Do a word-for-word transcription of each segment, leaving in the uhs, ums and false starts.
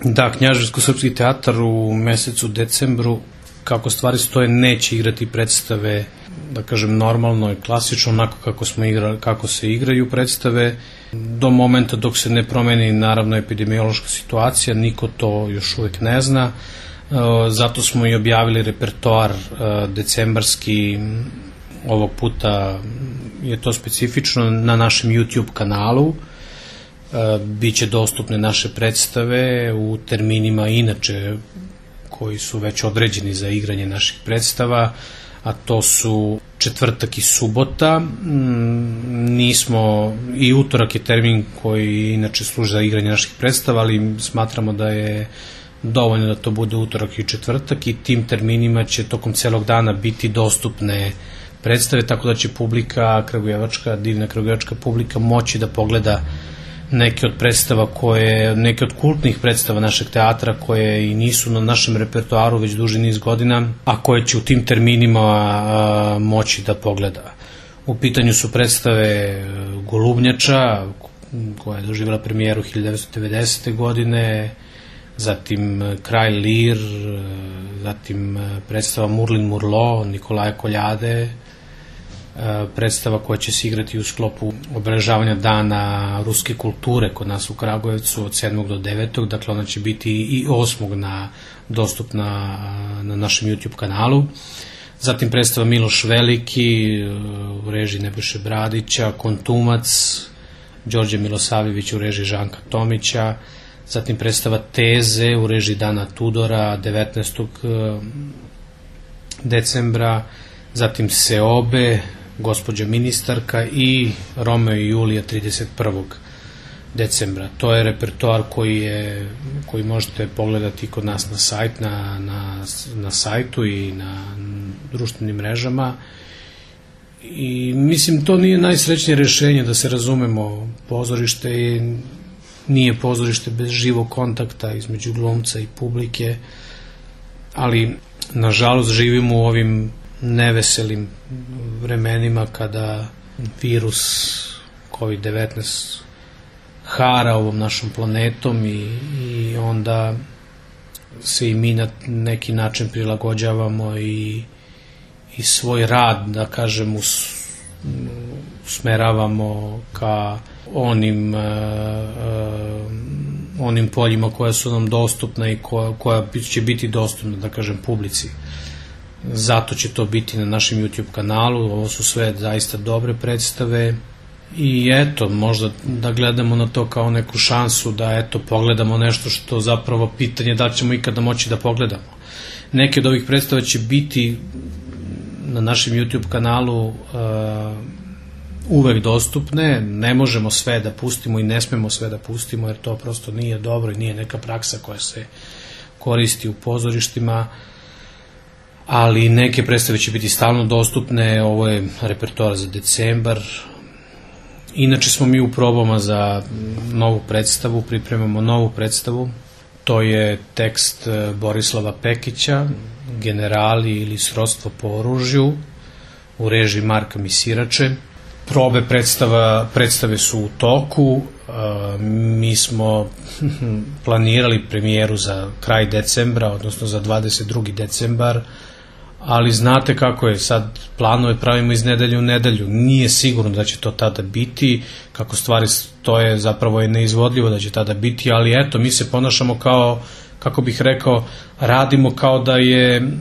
Da, Knjaževsko-srpski teatar u mesecu decembru, kako stvari stoje, neće igrati predstave, da kažem, normalno i klasično, onako kako, smo igra, kako se igraju predstave, do momenta dok se ne promeni, naravno, epidemiološka situacija. Niko to još uvek ne zna. Zato smo i objavili repertoar decembarski. Ovog puta je to specifično na našem YouTube kanalu. Biće dostupne naše predstave u terminima inače koji su već određeni za igranje naših predstava, a to su četvrtak i subota. Nismo, i utorak je termin koji inače služi za igranje naših predstava, ali smatramo da je dovoljno da to bude utorak i četvrtak, i tim terminima će tokom celog dana biti dostupne predstave, tako da će publika kragujevačka, divna kragujevačka publika moći da pogleda neke od predstava koje, neke od kultnih predstava našeg teatra koje i nisu na našem repertoaru već duži niz godina, a koje će u tim terminima a, moći da pogleda. U pitanju su predstave Golubnjača, koja je doživjela premijeru hiljadu devetsto devedesete. godine, zatim Kralj Lir, zatim predstava Murlin Murlo, Nikolaja Koljade, predstava koja će se igrati u sklopu obeležavanja dana ruske kulture kod nas u Kragujevcu od sedmog do devetog Dakle, ona će biti i osmog na, dostupna na našem YouTube kanalu. Zatim predstava Miloš Veliki u režiji Nebojše Bradića, Kontumac, Đorđe Milosavljević u režiji Žanka Tomića. Zatim predstava Teze u režiji Dana Tudora devetnaestog decembra. Zatim Seobe, Gospođa ministarka, i Romeo i Julija trideset prvog decembra. To je repertoar koji, je, koji možete pogledati kod nas na, sajt, na, na, na sajtu i na društvenim mrežama. I mislim, to nije najsrećnije rešenje, da se razumemo. Pozorište je, nije pozorište bez živog kontakta između glumca i publike, ali nažalost živimo u ovim neveselim vremenima kada virus kovid devetnaest hara ovom našom planetom, i, i onda se i mi na neki način prilagođavamo i, i svoj rad, da kažem, us, usmeravamo ka onim, uh, uh, onim poljima koja su nam dostupna i koja, koja će biti dostupna, da kažem, publici. Zato će to biti na našem YouTube kanalu. Ovo su sve zaista dobre predstave i eto, možda da gledamo na to kao neku šansu da eto pogledamo nešto što zapravo pitanje da li ćemo ikada moći da pogledamo. Neke od ovih predstava će biti na našem YouTube kanalu uh, uvek dostupne. Ne možemo sve da pustimo i ne smemo sve da pustimo, jer to prosto nije dobro i nije neka praksa koja se koristi u pozorištima, ali neke predstave će biti stalno dostupne. Ovo je repertoar za decembar. Inače smo mi u probama za novu predstavu, pripremamo novu predstavu. To je tekst Borislava Pekića, Generali ili srodstvo po oružju, u režiji Marka Misirače. Probe predstava, predstave su u toku. Mi smo planirali premijeru za kraj decembra, odnosno za dvadeset drugi decembar, ali znate kako je, sad planove pravimo iz nedelje u nedelju, nije sigurno da će to tada biti, kako stvari stoje zapravo je neizvodljivo da će tada biti, ali eto, mi se ponašamo kao, kako bih rekao, radimo kao da je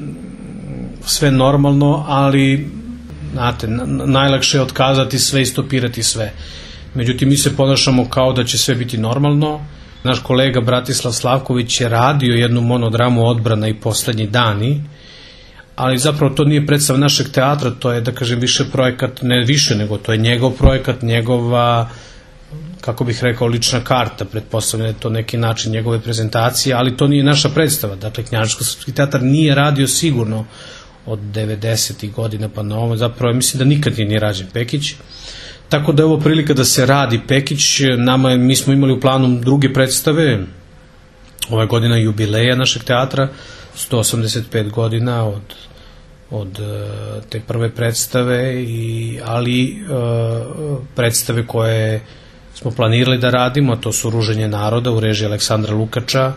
sve normalno, ali znate, najlakše je otkazati sve i stopirati sve. Međutim, mi se ponašamo kao da će sve biti normalno. Naš kolega Bratislav Slavković je radio jednu monodramu Odbrana i poslednji dani, ali zapravo to nije predstava našeg teatra, to je, da kažem, više projekat, ne više, nego to je njegov projekat, njegova, kako bih rekao, lična karta, pretpostavljeno je to neki način njegove prezentacije, ali to nije naša predstava. Dakle, Knjaževsko-srpski teatar nije radio sigurno od devedesetih godina pa na ovo, zapravo mislim da nikad nije rađen Pekić, tako da je ovo prilika da se radi Pekić. Nama, mi smo imali u planu druge predstave, ova godina jubileja našeg teatra, sto osamdeset pet godina od, od te prve predstave, i, ali uh, predstave koje smo planirali da radimo, to su Ruženje naroda u režiji Aleksandra Lukača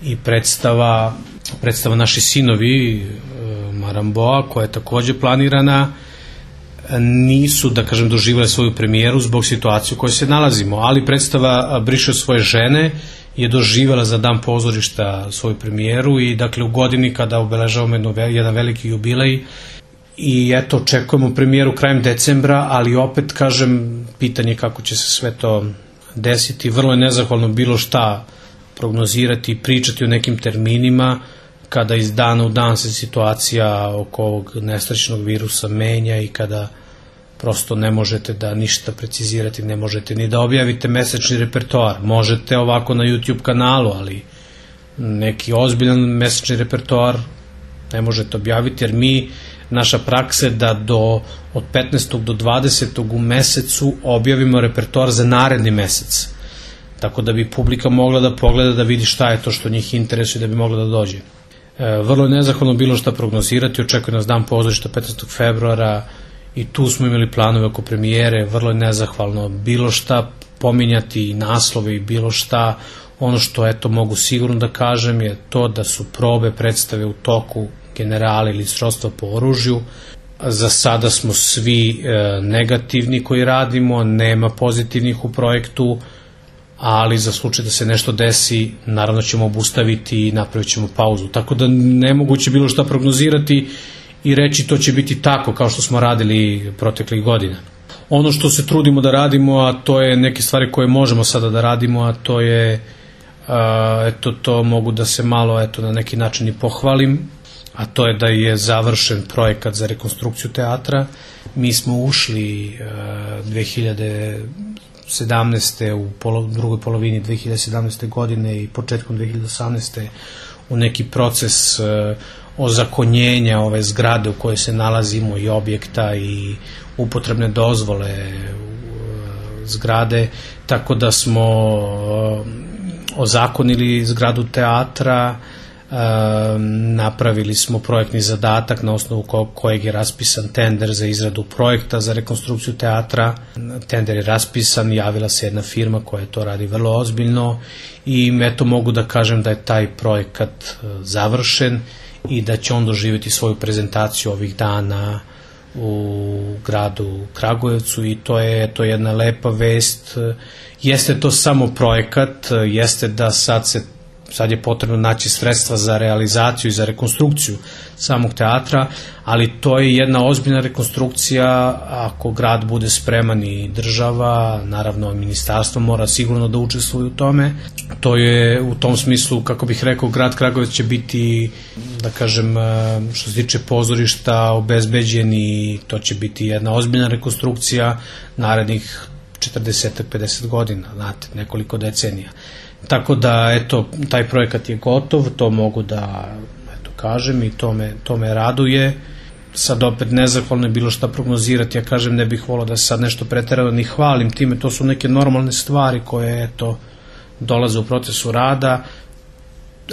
i predstava, predstava Naši sinovi Maramboa, koja je takođe planirana, nisu, da kažem, doživjeli svoju premijeru zbog situacije u kojoj se nalazimo, ali predstava Briše svoje žene je doživjela za Dan pozorišta svoju premijeru i dakle u godini kada obeležavamo jedno, jedan veliki jubilej i eto očekujemo premijeru krajem decembra, ali opet kažem, pitanje kako će se sve to desiti, vrlo je nezahvalno bilo šta prognozirati i pričati o nekim terminima kada iz dana u dan se situacija oko ovog nesrećnog virusa menja i kada prosto ne možete da ništa precizirati, ne možete ni da objavite mesečni repertoar. Možete ovako na YouTube kanalu, ali neki ozbiljan mesečni repertoar ne možete objaviti, jer mi, naša praksa je da do, od petnaestog do dvadesetog u mesecu objavimo repertoar za naredni mesec. Tako da bi publika mogla da pogleda, da vidi šta je to što njih interesuje, da bi mogla da dođe. E, vrlo je nezahvalno bilo šta prognozirati, očekuje nas Dan pozorišta petnaestog februara i tu smo imali planove oko premijere, vrlo je nezahvalno bilo šta pominjati, naslove i bilo šta. Ono što eto mogu sigurno da kažem je to da su probe predstave u toku, Generali ili Srodstva po oružju. Za sada smo svi e, negativni koji radimo, nema pozitivnih u projektu, ali za slučaj da se nešto desi, naravno ćemo obustaviti i napravit ćemo pauzu. Tako da nemoguće bilo šta prognozirati i reći to će biti tako kao što smo radili proteklih godina. Ono što se trudimo da radimo, a to je neke stvari koje možemo sada da radimo, a to je, a, eto, to mogu da se malo, eto, na neki način i pohvalim, a to je da je završen projekat za rekonstrukciju teatra. Mi smo ušli a, dve hiljade sedamnaeste u polo, drugoj polovini dve hiljade sedamnaeste godine i početkom dve hiljade osamnaeste u neki proces a, ozakonjenja ove zgrade u kojoj se nalazimo i objekta i upotrebne dozvole zgrade, tako da smo ozakonili zgradu teatra, napravili smo projektni zadatak na osnovu kojeg je raspisan tender za izradu projekta za rekonstrukciju teatra. Tender je raspisan, javila se jedna firma koja to radi vrlo ozbiljno i eto mogu da kažem da je taj projekat završen i da će on doživjeti svoju prezentaciju ovih dana u gradu Kragujevcu i to je to je jedna lepa vest. Jeste to samo projekat, jeste da sad se sad je potrebno naći sredstva za realizaciju i za rekonstrukciju samog teatra, ali to je jedna ozbiljna rekonstrukcija. Ako grad bude spreman i država, naravno ministarstvo mora sigurno da učestvuje u tome. To je u tom smislu, kako bih rekao, grad Kragujevac će biti, da kažem, što se tiče pozorišta, obezbeđen i to će biti jedna ozbiljna rekonstrukcija narednih četrdeset do pedeset godina, znate, nekoliko decenija. Tako da, eto, taj projekat je gotov, to mogu da, eto, kažem i to me, to me raduje. Sad opet nezahvalno je bilo šta prognozirati, ja kažem ne bih volao da se sad nešto preterano ni hvalim time, to su neke normalne stvari koje, eto, dolaze u procesu rada,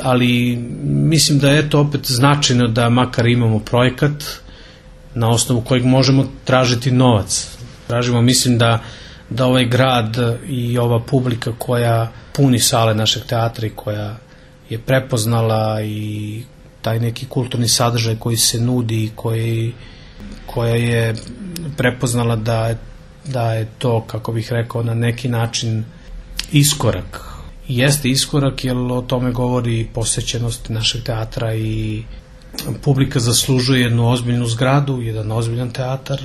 ali mislim da je, eto, opet značajno da makar imamo projekat na osnovu kojeg možemo tražiti novac. Tražimo, mislim da da ovaj grad i ova publika koja puni sale našeg teatra i koja je prepoznala i taj neki kulturni sadržaj koji se nudi i koji, koja je prepoznala da, da je to, kako bih rekao, na neki način iskorak. Jeste iskorak jer o tome govori posećenost našeg teatra i publika zaslužuje jednu ozbiljnu zgradu, jedan ozbiljan teatar